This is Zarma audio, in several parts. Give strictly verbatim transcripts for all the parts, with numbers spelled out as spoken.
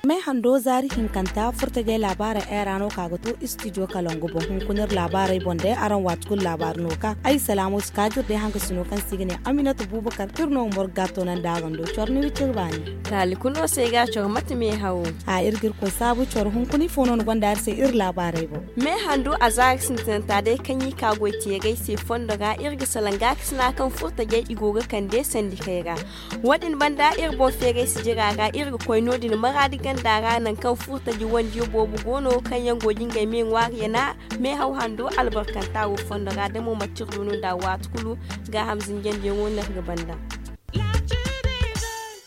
Me hando zaari hinkanta furtajey laabaarey era no ka ga to istijo kalangu boŋ hunkuna iri laabaarey boŋ day araŋ waati kulu laabaari no ka ay salaamu si kaajir day hangasino kaŋ se i ga ne aminata bubakar iri no morga toonandi a gando coro ni wiciri baani. Taali kulu no se ay ga coro mate meehawo. A iri ga iri koy saabu coro hunkuna ifo no ni gonda iri se iri laabaarey boŋ. Meehandu a zaari sintinanta day kaŋ i ka goy teerey se fondo ra iri ga salaŋ gaakasina kaŋ furtajey i go ga kande sandikey ra. Wo- din banda iri boŋ feeray sijira ra iri ga koy no- din maraadi ganda ra nangu kaŋ furtaji wandiyo boobo go no kaŋ yaŋ go ga ngey me ŋwaari yana meehaw hando albarkanta wo fondo ra da mo manti iri du no nd'a waati kulu. Gaaham zinjandiyaŋo no iri ga banda.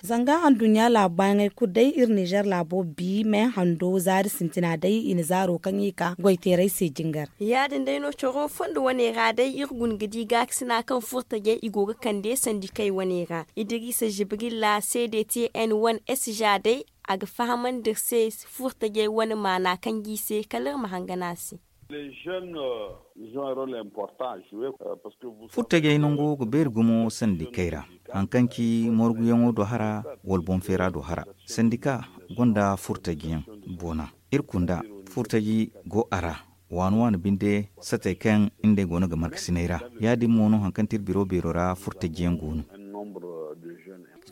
Zanga anduɲɲa laabu baayaŋey kulu day iri nizer laabo bi meehando zaari sintina day i na zaaro kaŋ i ka goy teeray se jingar. Ya- din day no coro fondo wane ra day iri guna ga di gaakasina kaŋ furtajey i go ga kande sandikey wane ra. Idirisa jibrilla c d t n wane s ja day a ga fahamandi iri se furtajey wane maana kaŋ ga i se kala iri ma hangan a se. Furtajey nango ga beeri gumo sandikey ra, hari kaŋ ci morguyaŋo do hara wala boŋ feera do hara. Sandika gonda furtajiyaŋ boona. Iri kunda furtaji go a ra waani waani binde satey kaŋ ngey go no ga markasiney ra. Ya- din mo no hari kaŋ ti iri biro beero ra furtajiyaŋ go no.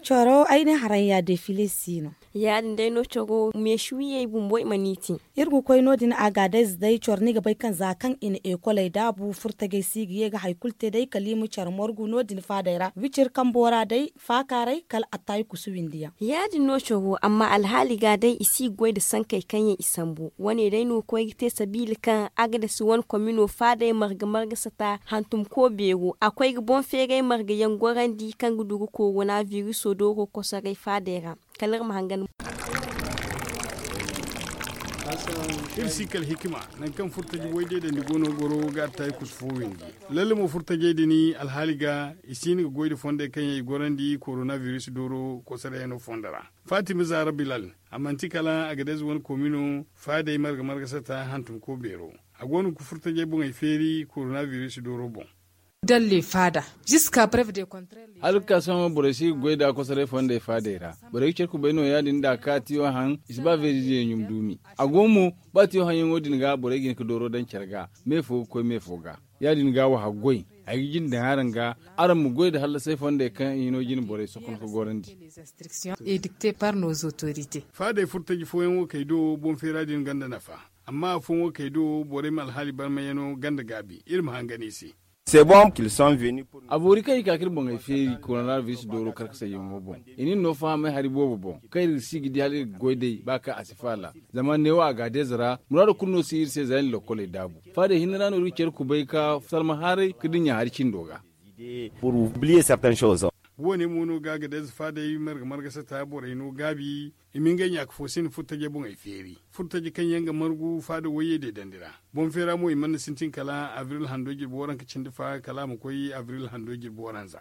Coro ay ne haraŋ ya defile si no. Ya- din day no coro meeshi wiyey bumbo i mana i te. Iri ga koy no- din a ga day za day coro ni ga bay kaŋ za kaŋ i na ekoley daabu furtajey si ga ye ga hari kulu te day kala i ma care morgu no- din faadey ra wiciri kambo ra day faakaaray kala attaayi kusu windiyaŋ. Ya- din no coro amma alhaali ga day i si ga goy nda sankey kaŋ yaŋ i sambu wane day no ga koy ga te sabiila kaŋ agades wane komino faadey marga marga sata hantum ko beero a koy ga boŋ feeray marga yaŋ gorandi kaŋ ga du ga korona viriso dooro kosoray faadey ra. Kala iri ma hangan. Iri si kala hikima nangu kaŋ furtaji way day dandi go no goro ga attaayi kusu fo windi. Lalle mo furtajey din alhaali ga i si hin ga goy nda fondey kaŋ yaŋ i gorandi korona viris dooro kosarayano fondo ra. Fatima zara bilal a manti kala a ga day za wane koomino faadey marga marga sata hantum ko beero. A go no ga furtajey boŋey feeri korona viris dooro boŋ. Dalle faada jiska preve de kontrel. Hala ga ka sohõ borey si ga goy nd'a kosoray fondey faadey ra. Borey ga care kubay no ya- din nd'a ka tiyo haŋ i si ba veeriziye ɲum duumi. A go mo ba tiyo haŋyaŋo din ga borey ga hin ga dooro daŋ care ga me fo ga koy me fo ga. Ya- din ga wa haggoy ay ga jinde daŋ araŋ ga araŋ ma goy nda hallasay fondey kaŋ i no jine borey sokon ga gorandi. Edikte par nos autorite. Faadey furtaji fooyaŋo kay do boŋ feera din gonda nafa. Amma afooyaŋo kay do borey ma alhaali barmayano ganda gaabi iri ma hangan i se. A boori kaŋ i ka ka iri boŋey feeri koronabiris dooro karkasayyaŋo boŋ. I na iri no fahamay hari boobo boŋ kaŋ iri ga si ga di hala iri ga goy day ba kaŋ a si faala. Zama neewo a ga a deeza ra muraado kulu no si iri se za iri na lokkoley daabu. Faadey hinne ra no iri ga care kubay ka salma haaray ka dinya hari cindo ga. Woone mo no ga a ga deeza faadey marga marga sata borey no gaabi. I ma ngey ɲaaka fo sinda furtajey boŋey feeri. Furtaji kaŋ yaŋ ga margu faada wayye deedandi ra. Boŋ feera mo i mana sintin kala abril hando jirbi waranka cindi fa kala a ma koy abril hando jirbi waranza.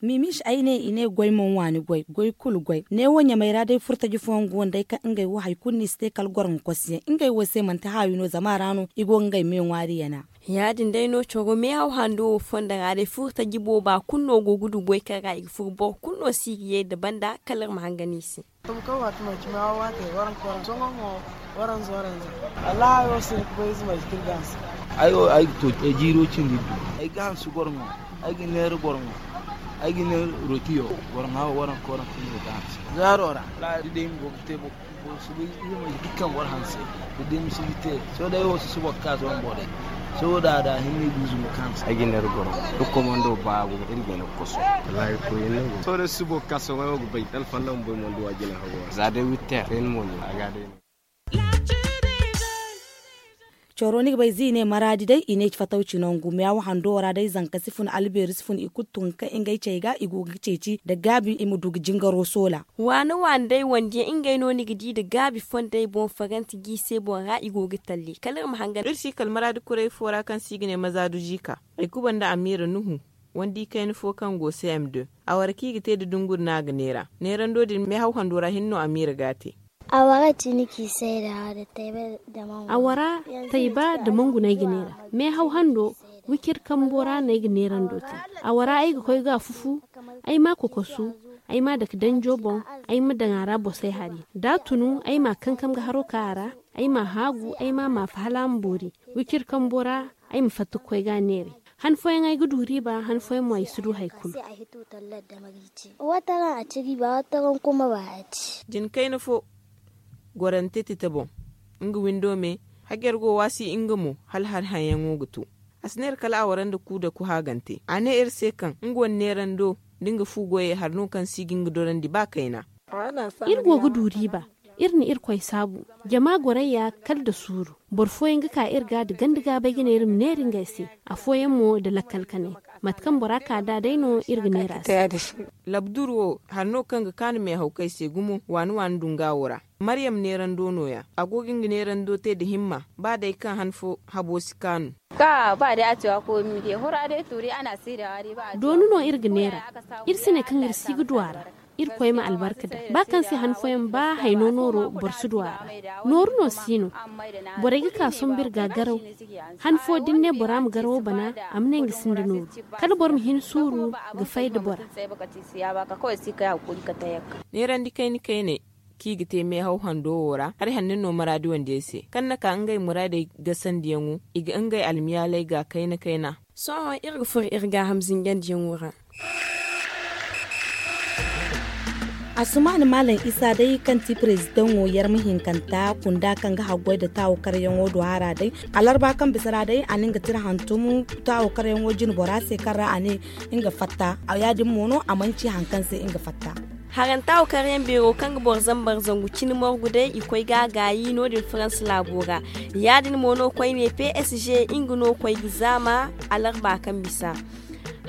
Mimis ay ne i ne goy mana waani goy goy kulu goy neewo ɲamey ra day furtaji fooyaŋ go no day kaŋ ngey wo hari kulu no i si te kala goro ga kosu yaŋ ngey wo se manti haawi no zama a ra no i go ga ngey me ŋwaari yana. Ya- din day no coro meehaw hando wo fondo ra day furtaji booba kulu no go ga du goy kaŋ ra i ga furu boro kulu no si ga ye nda banda kala iri ma hangan i se. Tuma kaŋ waati manci meehaw waate waranka waranza sohõ mo waranza waranza. Wallahi hayo si hin ga bay ize manci kaŋ iri ga hanse. Ay wo ay ga to jiiro cindi iddu. Ay ga hanse goro ŋwa. Ay ga neera goro ŋwa. Ay ga neera rotiyo goro ŋwa wo waranka waranka no ay ga hanse zaaro ra. Wallahi da day ma go ga te boro. Boro si bay ize manci dukkan boro hanse. Da day ma si ga te sohõ day wo si subo ga ka sohõ borey. Sohõ da da hinne iduuzu ma ka hanse. Ay ga neera goro ŋwa. Iri komando ba go ga iri ga ne ga koso. Wallahi koy yaŋ no go. Sohõ day si subo ga ka sohõ ay wo ga bay da alfalla ma bay mondo wa jina hago ra za day witter kayna mo no a ga day no. Coro ni ga bay za i ne maraadi day i ne fatawci nangu meewa hando ra day zanka si fun albeeri si fun i kulu tun ga kay ngey cey ga i go ga ceeci nda gaabi i ma du ga jingaro soola. Waani waani day wandiyaŋ ngey no ni ga di nda gaabi fondey boŋ faranti g'i se boŋ ra i go ga talli kala iri ma hangan. Iri si kala maraadi kuray fo ra kaŋ se i ga ne mazaadu jiika. Ay kuba nda amiira nuhu. Wandi kayna fo kaŋ go cm deux, a wara kaŋ i ga te nda dunguri no a ga neera. Neerando din meehaw hando ra hinne no a miira ga a te. A wara cini kaŋ i sayda. Awara tayba nda mangu no ay ga neera. Meehaw hando wicir kambo ra no ay ga neerando te. Awara ay ga koy ga a fufu, ay ma a kokosu, ay ma a dake danjo boŋ, ay ma daŋ a ra bosay hari. Da a tunu ay ma a kankam ga haro ka a ra, ay ma a haagu, ay ma a maafa hala a ma boori. Wicir kambo ra ay ma fatta ga koy ga a neeray. Han fooyaŋ ay ga du riiba, han fooyaŋ mo ay si du hari kulu. Wataran a ci riiba, wataran kuma ba a ci. Jin kayna fo gorante tita boŋ, nga windo me, hajar go waasi nga mo hala hari haŋyaŋo ga to. A si neera kala a wara nda ku da ku haagante. A ne iri se kaŋ nga wane neerando nda nga fu goyey hari no kaŋ si ga nga dorandi ba kayna. Iri go ga du riiba. Iri na irkoy saabu. Jama gorayya kala nda suuru. Boro fooyaŋ ga ka iri ga nda ganda gaabay ga ne iri ma neera ngey se. Afooyaŋ mo nda lakkal kanay. Mate kaŋ bora ka nd'a day no iri ga neera se. Labdur wo hari no kaŋ ga kaanu meehawkey se gumo waani waani dunga wo ra. Maryam neerando nooya. A go ga nga neerando te nda himma. Ba day kaŋ han fo habo si kaanu. Dooni no iri ga neera. Iri si ne kaŋ iri si ga du a ra. Irkoy ma albarka daŋ ba kaŋ se han fooyaŋ ba hayno nooro boro si du a ra. Nooru no si no. Borey ga ka sombu iri ga garaw. Han fo da ni ne bora ma garawo bana, a ma ne nga sinda nooru. Kala boro ma hin suuru ga fay nda bora. Neerandi kayna kayney kaŋ i ga te meehaw hando wo ra, hari hanno no maraadi wandiyey se kaŋ na ka ngey muraadey gasandiyaŋo, i ga ngey almiyaaley ga kayna kayna. Sohõ iri ga furo iri gaaham zingandiyaŋo ra. Asumaani maalam isa day kaŋ ti perezidaŋo yarma hinkanta kunda kaŋ ga haggoy nda taawo karyaŋo do hara day. Alarba kaŋ bisa ra day a na nga tira hantum taawo karyaŋo jine bora se kaŋ ra a ne nga fatta. Ya- din mo no a manci hari kaŋ se nga fatta. Haranta wo karyaŋ beero kaŋ ga boro zambar zangu cine morgu day i koy ga a gaayi no- din farans laabo ra. Ya- din mo no koyne p s g nga no koy ga zaama alarba kaŋ bisa.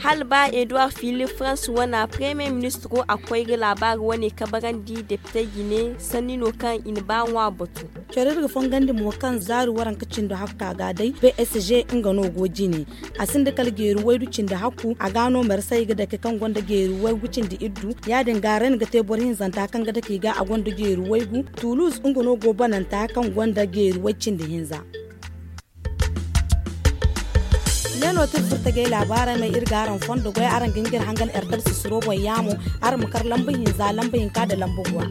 Hala ba eduward philippe farans wana premier ministro a koy ga laabaari wane kabarandi depitey jine sanni no kaŋ i na ba ŋwa batu. Coro iri ga fongandi mo kaŋ zaari waranka cindo hakka ga day p s g nga no go jine. A sinda kala geeri waydu cindi hakku a ga no marsay ga dake kaŋ gonda geeri waygu cindi iddu. Ya- din ga ren ga te boro hinzanta kaŋ ga dake i ga a gonda geeri waygu. Tulus nga no go bananta kaŋ gonda geeri way cindi hinza. Ne no tir furtagay laabaarey may iri ga araŋ fondo goy araŋ ga ngir hangan erdab sisiro boŋ yaamo. Araŋ ma kar lamba hinza lamba hinka nda lamba guwa.